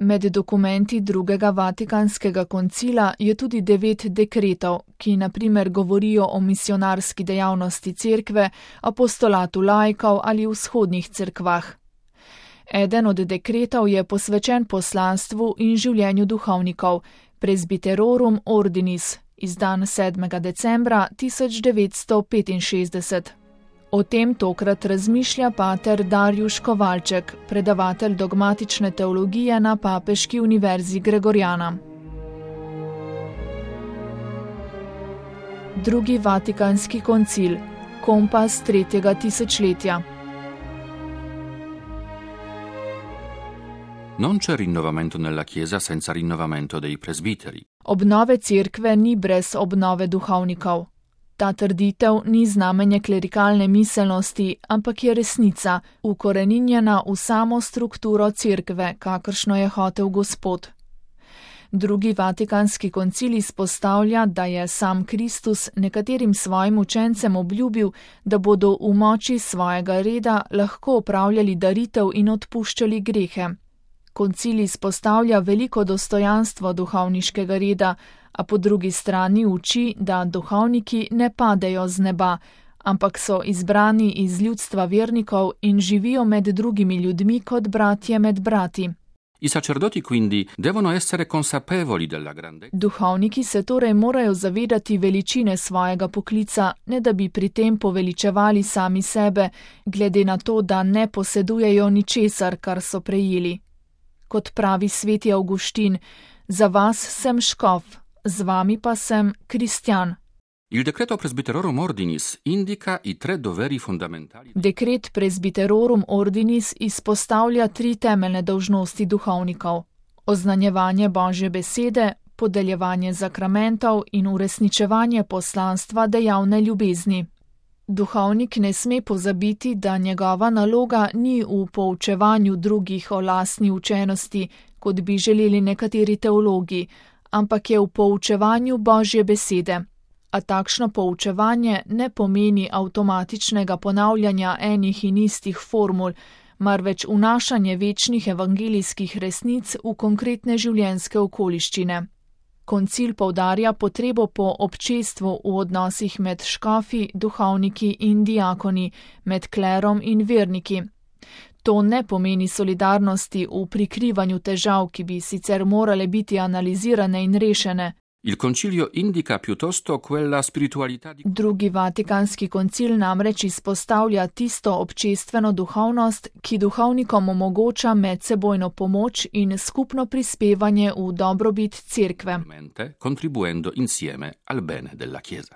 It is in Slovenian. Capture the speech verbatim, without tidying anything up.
Med dokumenti drugega Vatikanskega koncila je tudi devet dekretov, ki na primer govorijo o misionarski dejavnosti cerkve, apostolatu laikov ali vzhodnih cerkvah. Eden od dekretov je posvečen poslanstvu in življenju duhovnikov, Presbyterorum Ordinis, izdan sedmega decembra tisoč devetsto petinšestdeset. O tem tokrat razmišlja pater Darjuš Kovalček, predavatelj dogmatične teologije na Papeški univerzi Gregorjana. Drugi Vatikanski koncil, kompas tretjega tisočletja. Non c'è rinnovamento nella Chiesa senza rinnovamento dei presbiteri. Obnove cerkve ni brez obnove duhovnikov. Ta trditev ni znamenje klerikalne miselnosti, ampak je resnica, ukoreninjena v samo strukturo cerkve, kakršno je hotel Gospod. Drugi Vatikanski koncil izpostavlja, da je sam Kristus nekaterim svojim učencem obljubil, da bodo v moči svojega reda lahko opravljali daritev in odpuščali grehe. Koncil izpostavlja veliko dostojanstvo duhovniškega reda, a po drugi strani uči, da duhovniki ne padejo z neba, ampak so izbrani iz ljudstva vernikov in živijo med drugimi ljudmi kot bratje med brati. I sacerdoti quindi devono essere consapevoli della grandezza. Duhovniki se torej morajo zavedati veličine svojega poklica, ne da bi pri tem poveličevali sami sebe, glede na to, da ne posedujejo ničesar, kar so prejeli. Kot pravi sveti Avguštin, za vas sem škof, z vami pa sem kristjan. Il decreto Presbyterorum Ordinis indica i tre doveri fondamentali. Dekret Presbyterorum Ordinis izpostavlja tri temeljne dolžnosti duhovnikov: oznanjevanje Božje besede, podeljevanje zakramentov in uresničevanje poslanstva dejavne ljubezni. Duhovnik ne sme pozabiti, da njegova naloga ni v poučevanju drugih o lastni učenosti, kot bi želeli nekateri teologi, ampak je v poučevanju Božje besede. A takšno poučevanje ne pomeni avtomatičnega ponavljanja enih in istih formul, marveč vnašanje večnih evangelijskih resnic v konkretne življenjske okoliščine. Koncil poudarja potrebo po občestvu v odnosih med škofi, duhovniki in diakoni, med klerom in verniki. To ne pomeni solidarnosti v prikrivanju težav, ki bi sicer morale biti analizirane in rešene. Il concilio indica piuttosto quella spiritualità di... Drugi Vatikanski koncil namreč izpostavlja tisto občestveno duhovnost, ki duhovnikom omogoča medsebojno pomoč in skupno prispevanje v dobrobit cerkve. Contribuendo insieme al bene della Chiesa.